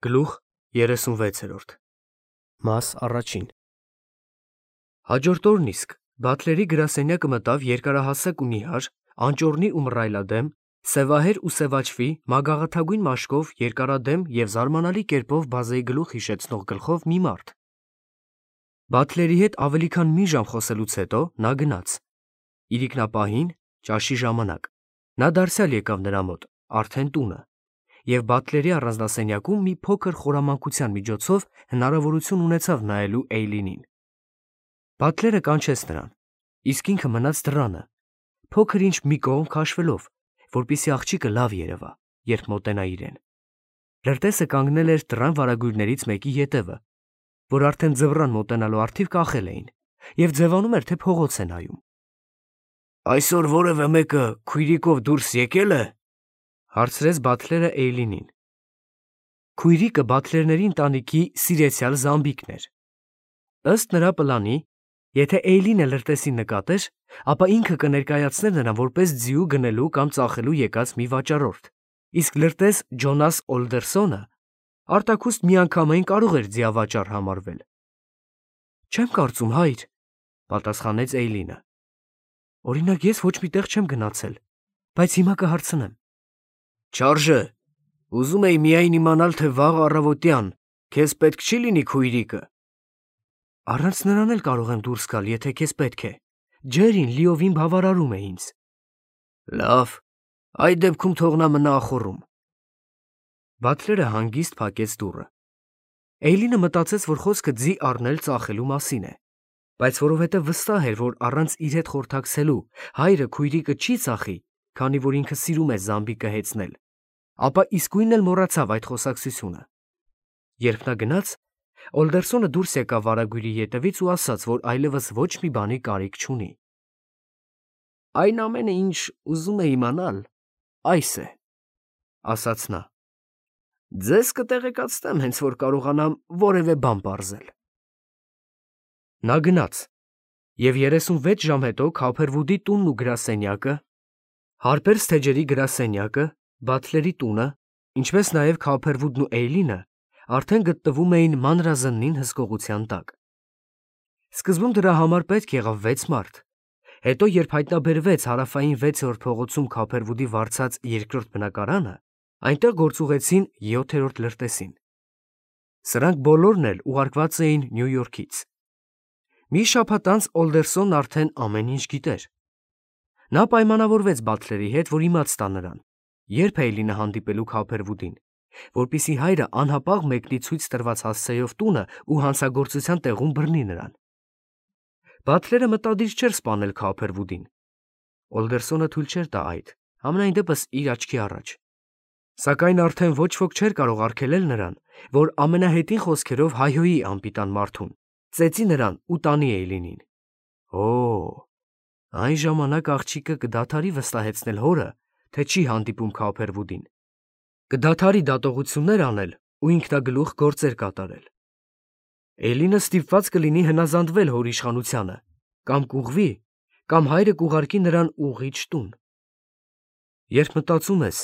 Գլուխ 36 Մաս առաջին Հաջորդ օրն իսկ Բաթլերի գրասենյակը մտավ երկարահասակ ու նիհար, անճոռնի ու մռայլադեմ, սևահեր ու սևաչվի, մագաղաթագույն մաշկով, երկարադեմ և զարմանալի կերպով բազեի գլուխ հիշեցնող գլխով մի մարդ։ Բաթլերի հետ ավելի քան մի ժամ խոսելուց հետո նա գնաց։ Իրիկնապահին, ճաշի ժամանակ, նա դարձյալ եկավ նրա մոտ, արդեն տունը, և Բաթլերի առանձնասենյակում մի փոքր խորամանկության միջոցով հնարավորություն ունեցավ նայելու Էյլինին։ Բաթլերը կանչեց նրան, իսկ ինքը մնաց դռանը, փոքր-ինչ մի կողմ քաշվելով, որպեսզի աղջիկը լավ երևա, երբ մոտենա իրեն։ Լրտեսը կանգնել էր դռան վարագույրներից մեկի ետևը, որ արդեն ձվռան մոտենալու առթիվ կախել էին, և ձևանում էր, թե փողոց է նայում։ «Այսօր որևէ մեկը քույրիկով դուրս եկել է?» հարցրեց Բաթլերը Էյլինին։ Քույրիկը Բաթլերների ընտանիքի սիրեցյալ Զամբիկն էր։ Ըստ նրա պլանի, եթե Էյլինը լրտեսին նկատեր, ապա ինքը կներկայացներ նրան որպես ձիու գնելու կամ ծախելու եկած մի վաճառորդ, իսկ լրտես Ջոնաս Օլդերսոնը արտաքուստ միանգամայն կարող էր ձիավաճառ համարվել։ «Չեմ կարծում, հայր», պատասխանեց Էյլինը։ «Օրինակ, ես ոչ մի տեղ չեմ գնացել, բայց հիմա կհարցնեմ»։ «Չարժե, ուզում էի միայն իմանալ, թե վաղ առավոտյան քեզ պետք չի լինի քույրիկը»։ «Առանց նրան էլ կարող եմ դուրս գալ, եթե քեզ պետք է։ Ջերին լիովին բավարարում է ինձ»։ «Լավ, այդ դեպքում թող նա մնա ախոռում»։ Բաթլերը հանգիստ փակեց դուռը։ Էյլինը մտածեց, որ խոսքը ձի առնել ծախելու մասին է, բայց որովհետև վստահ էր, որ առանց իր հետ խորհրդակցելու հայրը քույրիկը չի ծախի, քանի որ ինքը սիրում է Զամբիկը հեծնել, ապա իսկույն էլ մոռացավ այդ խոսակցությունը։ Երբ նա գնաց, Օլդերսոնը դուրս եկավ վարագույրի ետևից ու ասաց, որ այլևս ոչ մի բանի կարիք չունի։ «Այն ամենը, ինչ ուզում է իմանալ, այս է», ասաց նա։ «Ձեզ կտեղեկացնեմ, հենց որ կարողանամ որևէ բան պարզել»։ Նա գնաց, և 36 ժամ հետո Քափերվուդի տունն ու գրասենյակը, Հարպերս թեջերի գրասենյակը, Բաթլերի տունը, ինչպես նաև Քափերվուդն ու Էյլինը արդեն գտնվում էին մանրազննին հսկողության տակ։ Սկզբում դրա համար պետք եղավ 6 մարդ, հետո երբ հայտնաբերվեց հարավային 6-րդ փողոցում Քափերվուդի վարձած երկրորդ բնակարանը, այնտեղ գործուղեցին 7-րդ լրտեսին։ Սրանք բոլորն էլ ուղարկված էին Նյու Յորքից։ Մի շաբաթ անց Օլդերսոնն արդեն ամեն ինչ գիտեր։ Նա պայմանավորվեց Բաթլերի հետ, որ իմաց տա նրան, երբ Էյլինը հանդիպելու Քափերվուդին, որպեսզի հայրը անհապաղ մեկնի ցույց տրված հասցեով տունը ու հանցագործության տեղում բռնի նրան։ Բաթլերը մտադիր չէր սպանել Քափերվուդին։ Օլդերսոնը թույլ չէր տա այդ, համենայն դեպս իր աչքի առաջ։ Սակայն արդեն ոչ ոք չէր կարող արգելել նրան, որ ամենահետին խոսքերով հայհոյի անպիտան մարդուն, ծեծի նրան ու տանի Էյլինին։ Այն ժամանակ աղջիկը կդադարի վստահեցնել հորը, թե չի հանդիպում Քափերվուդին, կդադարի դատողություններ անել ու ինքնագլուխ գործեր կատարել։ Էյլինը ստիպված կլինի հնազանդվել հոր իշխանությանը, կամ կուղղվի, կամ հայրը կուղարկի նրան ուղղիչ տուն։ Երբ մտածում ես,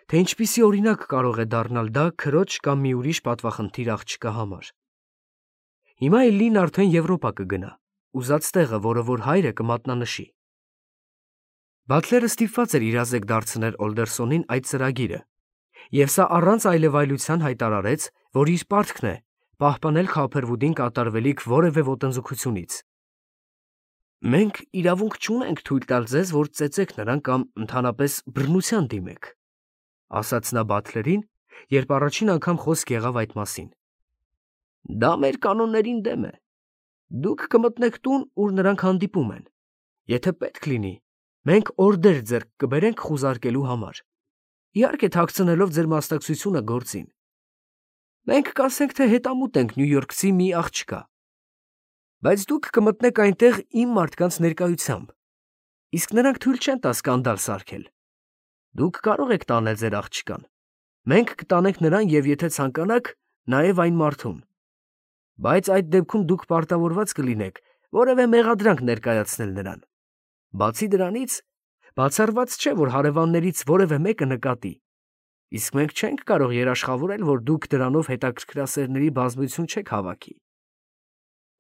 թե ինչպիսի օրինակ կարող է դառնալ դա քրոջ կամ մի ուրիշ պատվախնդիր աղջկա համար։ Հիմա Էյլինն արդեն Եվրոպա կգնա, ուզած տեղը, որը որ հայրը կմատնանշի։ Բաթլերը ստիպված էր իրազեկ դարձնել Օլդերսոնին այդ ծրագիրը, և սա առանց այլևայլության հայտարարեց, որ իր պարտքն է պահպանել Քափերվուդին կատարվելիք որևէ ոտնձգությունից։ «Մենք իրավունք չունենք թույլ տալ ձեզ, որ ծեծեք նրան կամ ընդհանրապես բռնության դիմեք», ասաց նա Բաթլերին, երբ առաջին անգամ խոսք եղավ այդ մասին։ «Դա մեր կանոններին դեմ է։ Դուք կմտնեք տուն, ուր նրանք հանդիպում են։ Եթե պետք լինի, մենք օրդեր ձեռք կբերենք խուզարկելու համար, իհարկե թաքցնելով ձեր մասնակցությունը գործին։ Մենք կասենք, թե հետամուտ ենք նյույորքցի մի աղջկա, բայց դուք կմտնեք այնտեղ իմ մարդկանց ներկայությամբ, իսկ նրանք թույլ չեն տա սկանդալ սարքել։ Դուք կարող եք տանել ձեր աղջկան, մենք կտանենք նրան և եթե ցանկանաք, նաև այն մարդուն, բայց այդ դեպքում դուք պարտավորված կլինեք որևէ մեղադրանք ներկայացնել նրան։ Բացի դրանից, բացառված չէ, որ հարևաններից որևէ մեկը նկատի, Իսկ մենք չենք կարող երաշխավորել, որ դուք դրանով հետաքրքրասերների բազմություն չեք հավաքի։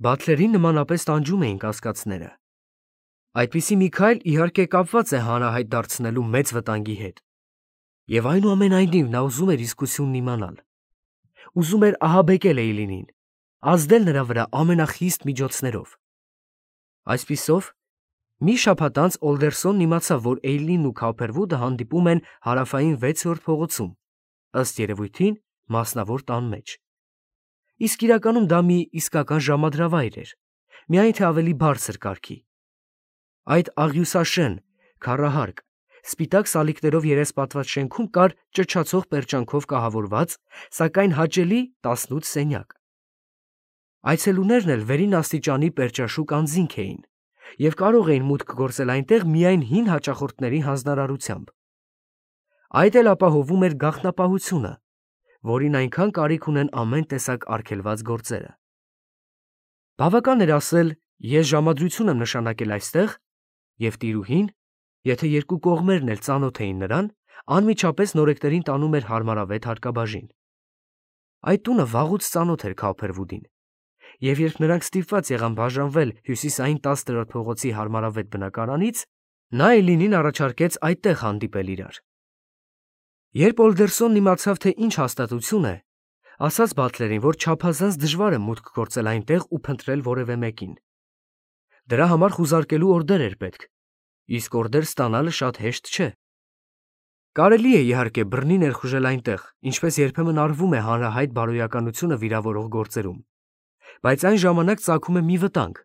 Բաթլերին նմանապես տանջում էին կասկածները։ Այդպիսի մի քայլ իհարկե կապված է հանրահայտ դարձնելու մեծ վտանգի հետ։ Եվ այնուամենայնիվ նա ուզում էր իսկությունն իմանալ։ Ուզում էր ահաբեկել Էյլինին, ազդել նրա վրա ամենախիստ միջոցներով։ Այսպիսով, մի շաբաթ անց Օլդերսոնն իմացավ, որ Էյլինն ու Քոփերվուդը հանդիպում են հարավային 6-րդ փողոցում, ըստ երևույթին մասնավոր տան մեջ։ Իսկ իրականում դա մի իսկական ժամադրավայր էր, միայն թե ավելի բարձր կարգի։ Այդ աղյուսաշեն, քառահարկ, սպիտակ սալիկներով երեսպատված շենքում կար ճչացող պերճանքով կահավորված, սակայն հաճելի 18 սենյակ։ Այցելուներն էլ վերին աստիճանի պերճաշուք անձինք էին և կարող էին մուտք գործել այնտեղ միայն հին հաճախորդների հանձնարարությամբ։ Այդ էլ ապահովում էր գաղտնապահությունը, որին այնքան կարիք ունեն ամեն տեսակ արգելված գործերը։ Բավական էր ասել, ես ժամադրություն եմ նշանակել այստեղ, և տիրուհին, եթե երկու կողմերն էլ ծանոթ էին նրան, անմիջապես նորեկներին տանում էր հարմարավետ հարկաբաժին։ Այդ տունը վաղուց ծանոթ էր Քոփերվուդին, և երբ նրանք ստիպված եղան բաժանվել հյուսիսային 10-րդ փողոցի հարմարավետ բնակարանից, նա Էյլինին առաջարկեց այդտեղ հանդիպել իրար։ Երբ Օլդերսոնն իմացավ, թե ինչ հաստատություն է, ասաց Բաթլերին, որ չափազանց դժվար է մուտք գործել այնտեղ ու փնտրել որևէ մեկին։ Դրա համար խուզարկելու օրդեր էր պետք, իսկ օրդեր ստանալը շատ հեշտ չէ։ Կարելի է իհարկե բռնի ներխուժել այնտեղ, ինչպես երբեմն արվում է հանրահայտ բարոյականությունը վիրավորող գործերում, բայց այն ժամանակ ծագում է մի վտանգ՝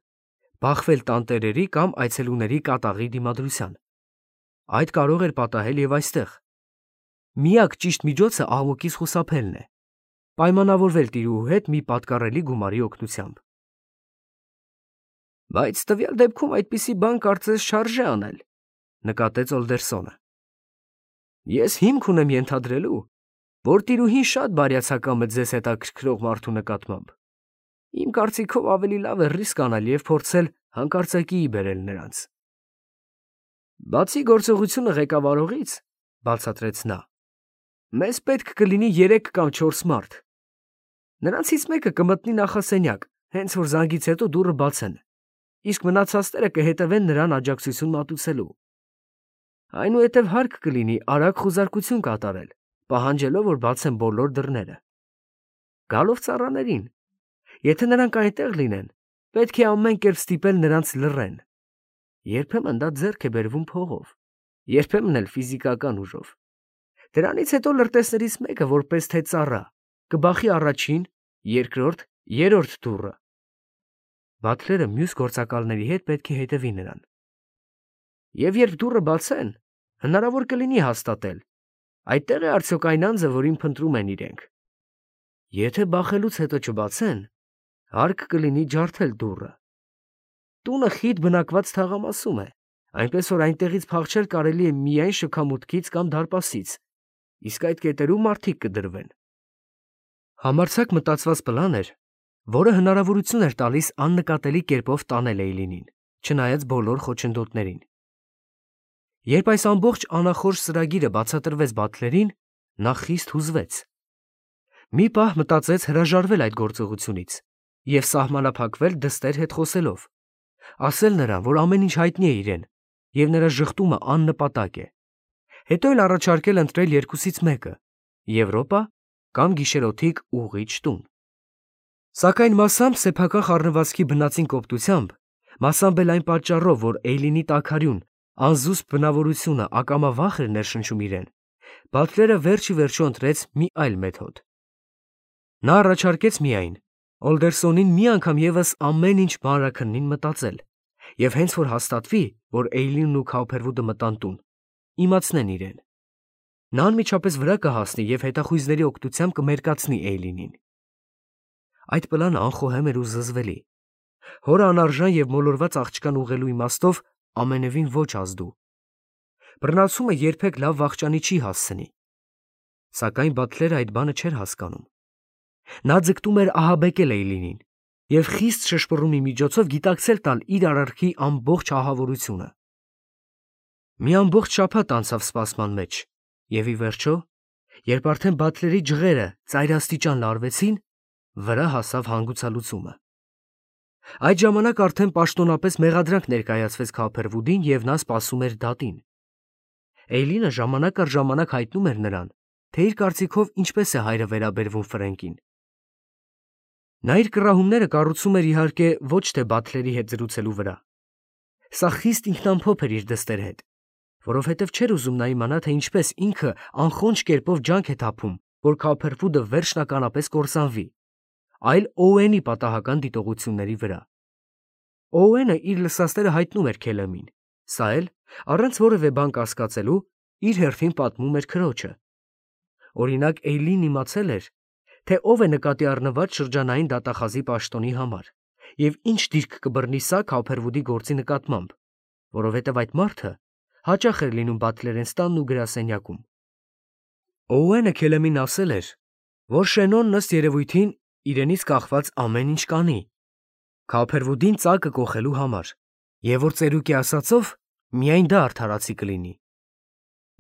բախվել տանտերերի կամ այցելուների կատաղի դիմադրության։ Այդ կարող էր պատահել և այստեղ։ Միակ ճիշտ միջոցը աղմուկից խուսափելն է, պայմանավորվել տիրուհու հետ մի պատկառելի գումարի օգնությամբ։ Բայց տվյալ դեպքում այդպիսի բան կարծես շարժե անել, նկատեց Օլդերսոնը։ Ես հիմք ունեմ ենթադրելու, որ տիրուհին շատ բարյացակամ է ձեզ հետաքրքրող մարդու նկատմամբ։ Իմ կարծիքով ավելի լավ է ռիսկ անել և փորձել հանկարծակիի բերել նրանց։ Բացի գործողությունը ղեկավարողից, բացատրեց նա, մեզ պետք կլինի 3 կամ 4 մարդ։ Նրանցից մեկը կմտնի նախասենյակ, հենց որ զանգից հետո դուռը բացեն, իսկ մնացածները կհետևեն նրան աջակցություն մատուցելու։ Այնուհետև հարկ կլինի արագ խուզարկություն կատարել, պահանջելով, որ բացեն բոլոր դռները։ Գալով ծառաներին, եթե նրանք այնտեղ լինեն, պետք է ամեն կերպ ստիպել նրանց լռեն։ Երբեմն դա ձեռք է բերվում փողով, երբեմն էլ ֆիզիկական ուժով։ Դրանից հետո լրտեսներից մեկը, որպես թե ծառա, կբախի առաջին, երկրորդ, երրորդ դուռը։ Բաթլերը մյուս գործակալների հետ պետք է հետևի նրան։ Եվ երբ դուռը բացեն, հնարավոր կլինի հաստատել, այդտեղ է արդյոք այն անձը, որին փնտրում են իրենք։ Եթե բախելուց հետո չբացեն, հարկ կլինի ջարդել դուռը։ Տունը խիտ բնակված թաղամասում է, այնպես որ այնտեղից փախչել կարելի է միայն շքամուտքից կամ դարպասից, իսկ այդ կետերում մարդիկ կդրվեն։ Համարձակ մտածված պլան էր, որը հնարավորություն էր տալիս աննկատելի կերպով տանել Էյլինին, չնայած բոլոր խոչընդոտներին։ Երբ այս ամբողջ անախորժ ծրագիրը բացատրվեց Բաթլերին, նա խիստ հուզվեց։ Մի պահ մտածեց հրաժարվել այդ գործողությունից և սահմանափակվել դստեր հետ խոսելով, ասել նրան, որ ամեն ինչ հայտնի է իրեն, և նրա ժխտումը աննպատակ է, հետո էլ առաջարկել ընտրել երկուսից մեկը՝ Եվրոպա կամ գիշերօթիկ ուղղիչ տուն։ Սակայն մասամբ սեփական խառնվածքի բնածին կոպտությամբ, մասամբ էլ այն պատճառով, որ Էյլինի տաքարյուն, անզուսպ բնավորությունը ակամա վախ էր ներշնչում իրեն, Բաթլերը վերջ ի վերջո ընտրեց մի այլ մեթոդ։ Նա առաջարկեց միայն Օլդերսոնին մի անգամ ևս ամեն ինչ մանրաքննին մտածել, և հենց որ հաստատվի, որ Էյլինն ու Քոփերվուդը մտան տուն, իմացնեն իրեն։ Նա անմիջապես վրա կհասնի և հետախույզների օգնությամբ կմերկացնի Էյլինին։ Այդ պլանը անխոհեմ էր ու զզվելի։ Հորը անարժան և մոլորված աղջկան ուղղելու իմաստով ամենևին ոչ ազդու։ Բռնացումը երբեք լավ վախճանի չի հասցնի։ Սակայն Բաթլերը այդ բանը չէր հասկանում։ Նա ձգտում էր ահաբեկել Էյլինին և խիստ շշպռումի միջոցով գիտակցել տալ իր արարքի ամբողջ ահավորությունը։ Մի ամբողջ շաբաթ անցավ սպասման մեջ, և ի վերջո, Երբ արդեն Բաթլերի ջղերը ծայրաստիճան լարվեցին, վրա հասավ հանգուցալուծումը։ Այդ ժամանակ արդեն պաշտոնապես մեղադրանք ներկայացվեց Քոփերվուդին և նա սպասում էր դատին։ Էյլինը ժամանակ առ ժամանակ հայտնում էր նրան, թե իր կարծիքով ինչպես է հայրը վերաբերվում Ֆրենկին։ Նա իր կռահումները կառուցում էր իհարկե ոչ թե Բաթլերի հետ զրուցելու վրա։ Սա խիստ ինքնամփոփ էր իր դստեր հետ, որովհետև չէր ուզում նա իմանա, թե ինչպես ինքը անխոնջ կերպով ջանք է թափում, որ Քոփերվուդը վերջնականապես կործանվի, այլ Օուենի պատահական դիտողությունների վրա։ Օուենը իր լսածները հայտնում էր Քելեմին, սա էլ, առանց որևէ բան կասկածելու, իր հերթին պատմում էր քրոջը։ Օրինակ, Էյլին իմացել էր, թե ով է նկատի առնված շրջանային դատախազի պաշտոնի համար և ինչ դիրք կբռնի սա Քոփերվուդի գործի նկատմամբ, որովհետև այդ մարդը հաճախ էր լինում Բաթլերենստանն ու գրասենյակում։ Օուենը Քելեմին ասել էր, որ Շենոնն ըստ երևույթին իրենից կախված ամեն ինչ կանի Քոփերվուդին ծակը կոխելու համար, և որ ծերուկի ասածով միայն դա արդարացի կլինի։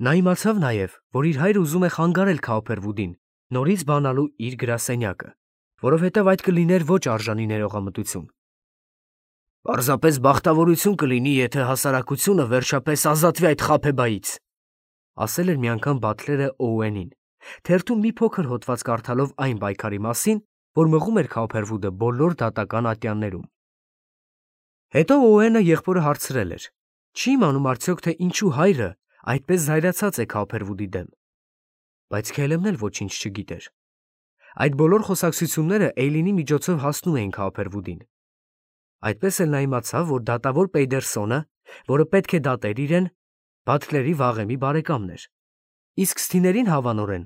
Նա իմացավ նաև, որ իր հայրը ուզում է խանգարել Քոփերվուդին նորից բանալու իր գրասենյակը, որովհետև այդ կլիներ ոչ արժանի ներողամտություն։ «Պարզապես բախտավորություն կլինի, եթե հասարակությունը վերջապես ազատվի այդ խաբեբայից», ասել էր մի անգամ Բաթլերը Օուենին, թերթում մի փոքր հոդված կարդալով այն պայքարի մասին, որ մղում էր Քոփերվուդը բոլոր դատական ատյաններում։ Հետո Օուենը եղբորը հարցրել էր. չի իմանում արդյոք, թե ինչու հայրը այդպես զայրացած է Քոփերվուդի դեմ։ Բայց Քելեմն էլ ոչինչ չգիտեր։ Այդ բոլոր խոսակցությունները Էյլինի միջոցով հասնում էին Քոփերվուդին։ Այդպես էլ նա իմացավ, որ դատավոր Պեյդերսոնը, որը պետք է դատեր իրեն, Բաթլերի վաղեմի բարեկամն էր, իսկ Սթիներին հավանորեն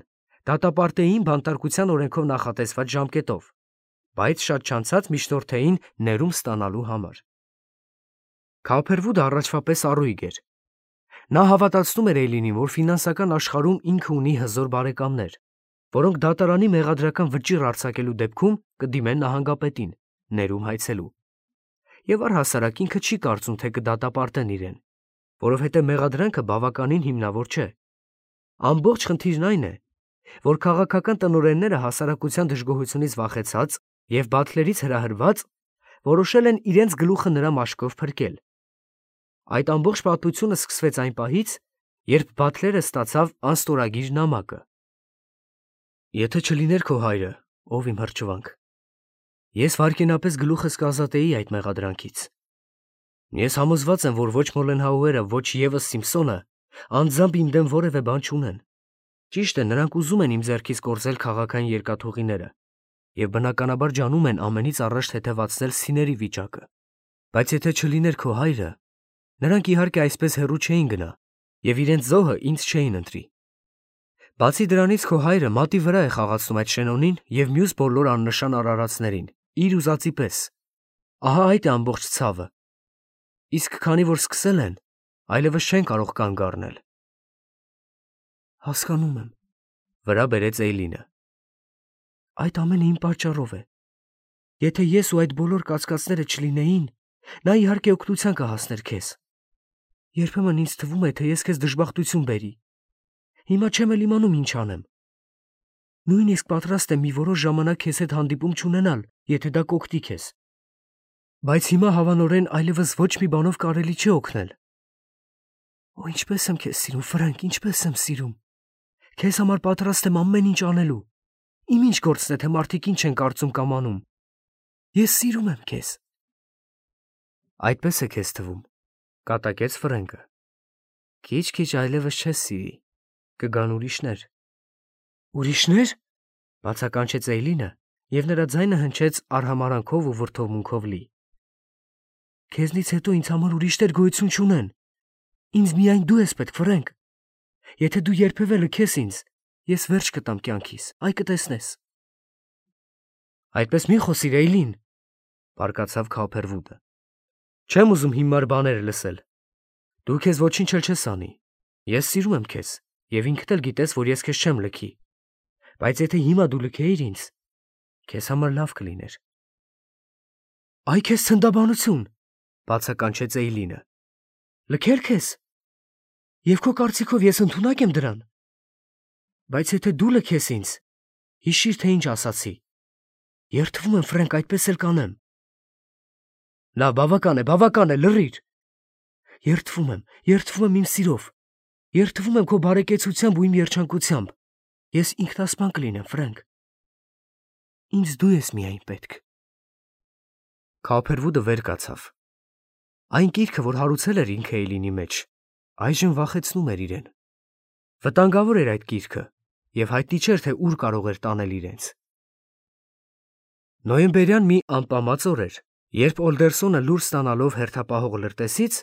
դատապարտեին բանտարկության օրենքով նախատեսված ժամկետով, բայց շատ չանցած միջնորդեին ներում ստանալու համար։ Քոփերվուդը առաջվա պես առույգ էր։ Նա հավատացնում էր Էյլինին, որ ֆինանսական աշխարհում ինքը ունի հզոր բարեկամներ, որոնք դատարանի մեղադրական վճիռ արձակելու դեպքում կդիմեն նահանգապետին, ներում հայցելու։ Եվ առհասարակ ինքը չի կարծում, թե կդատապարտեն իրեն, որովհետև մեղադրանքը բավականին հիմնավոր չէ։ Ամբողջ խնդիրն այն է, որ քաղաքական տնօրենները հասարակության դժգոհությունից վախեցած և Բաթլերից հրահրված որոշել են իրենց գլուխը նրա մաշկով փրկել։ Այդ ամբողջ պատմությունը սկսվեց այն պահից, երբ Բաթլերը ստացավ անստորագիր նամակը։ Եթե չլիներ քո հայրը, ով իմ հրճվանք, ես վայրկենապես գլուխս կազատեի այդ մեղադրանքից։ Ես համոզված եմ, որ ոչ Մոլենհաուերը, ոչ ևս Սիմփսոնը անձամբ իմ դեմ որևէ բան չունեն։ Ճիշտ է, նրանք ուզում են իմ ձեռքից կորզել քաղաքային երկաթուղիները և բնականաբար ջանում են ամենից առաջ թեթևացնել Սիների վիճակը։ Բայց եթե չլիներ քո հայրը, նրանք իհարկե այսպես հեռու չէին գնա և իրենց զոհը ինձ չէին ընտրի։ Բացի դրանից քո հայրը մատի վրա է խաղացնում այդ Շենոնին և մյուս բոլոր աննշան արարածներին, իր ուզածի պես։ Ահա այդ է ամբողջ ցավը։ Իսկ քանի որ սկսել են, այլևս չեն կարող կանգ առնել։ Հասկանում եմ, վրա բերեց Էյլինը։ Այդ ամենը իմ պատճառով է։ Եթե ես ու այդ բոլոր կացկացները չլինեին, նա իհարկե օգնության կհասներ քեզ։ Երբեմն ինձ թվում է, թե ես քեզ դժբախտություն բերի։ Հիմա չեմ էլ իմանում ինչ անեմ։ Նույնիսկ պատրաստ եմ մի որոշ ժամանակ քեզ հետ հանդիպում չունենալ, եթե դա կօգնի քեզ։ Բայց հիմա հավանորեն այլևս ոչ մի բանով կարելի չի օգնել։ Օ, ինչպես եմ քեզ սիրում, Ֆրենկ, ինչպես եմ սիրում։ Քեզ համար պատրաստ եմ ամեն ինչ անելու։ Իմ ինչ գործն է, թե մարդիկ ինչ են կարծում կամ անում։ Ես սիրում եմ քեզ։ Այդպես է քեզ թվում, կատակեց Ֆրենկը։ Քիչ-քիչ այլևս չես սիրի, կգան ուրիշներ։ Ուրիշնե՞ր, բացականչեց Էյլինը, և նրա ձայնը հնչեց արհամարհանքով ու վրդովմունքով լի։ Քեզնից հետո ինձ համար ուրիշներ գոյություն չունեն։ Ինձ միայն դու ես պետք, Ֆրենկ։ Եթե դու երբևէ լքես ինձ, ես վերջ կտամ կյանքիս, այ կտեսնես։ Այդպես մի խոսիր, Էյլին, բարկացավ Քոփերվուդը։ Չեմ ուզում հիմար բաներ լսել։ Դու քեզ ոչինչ էլ չես անի։ Ես սիրում եմ քեզ, և ինքդ էլ գիտես, որ ես քեզ չեմ լքի։ Բայց եթե հիմա դու լքեիր ինձ, քեզ համար լավ կլիներ։ Այ քեզ ցնդաբանություն, բացականչեց Էյլինը։ Լքել քեզ։ Եվ քո կարծիքով ես ընդունակ եմ դրան։ Բայց եթե դու լքես ինձ, հիշիր, թե ինչ ասացի։ Երդվում եմ, Ֆրենկ, այդպես էլ կանեմ։ Լավ, բավական է, լռիր։ Երդվում եմ իմ սիրով։ Երդվում եմ քո բարեկեցությամբ ու իմ երջանկությամբ։ Ես ինքնասպան կլինեմ, Ֆրենկ։ Ինձ դու ես միայն պետք։ Քոփերվուդը վեր կացավ։ Այն կիրքը, որ հարուցել էր ինքը Էյլինի մեջ, այժմ վախեցնում էր իրեն։ Վտանգավոր էր այդ կիրքը, եւ հայտնի չէր, թե ուր կարող էր տանել իրենց։ Նոյեմբերյան մի անպամած օր էր, երբ Օլդերսոնը լուր ստանալով հերթապահող լրտեսից,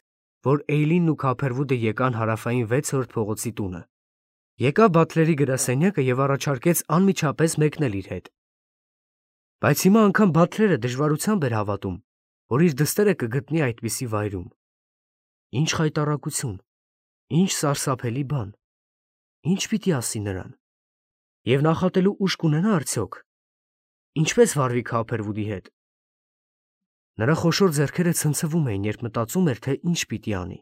որ Էյլինն ու Քոփերվուդը եկան հարավային 6-րդ փողոցի տունը, եկավ Բաթլերի գրասենյակը եւ առաջարկեց անմիջապես մեկնել իր հետ։ Բայց հիմա անգամ Բաթլերը դժվարությամբ էր հավատում, որ իր դստերը կգտնի այդպիսի վայրում։ Ինչ խայտառակություն, ինչ սարսափելի բան, ինչ պիտի ասի նրան։ Եվ նախատելու ուժ կունենա արդյոք։ Ինչպես վարվի Քոփերվուդի հետ։ Նրա խոշոր ձեռքերը ցնցվում էին, երբ մտածում էր, թե ինչ պիտի անի։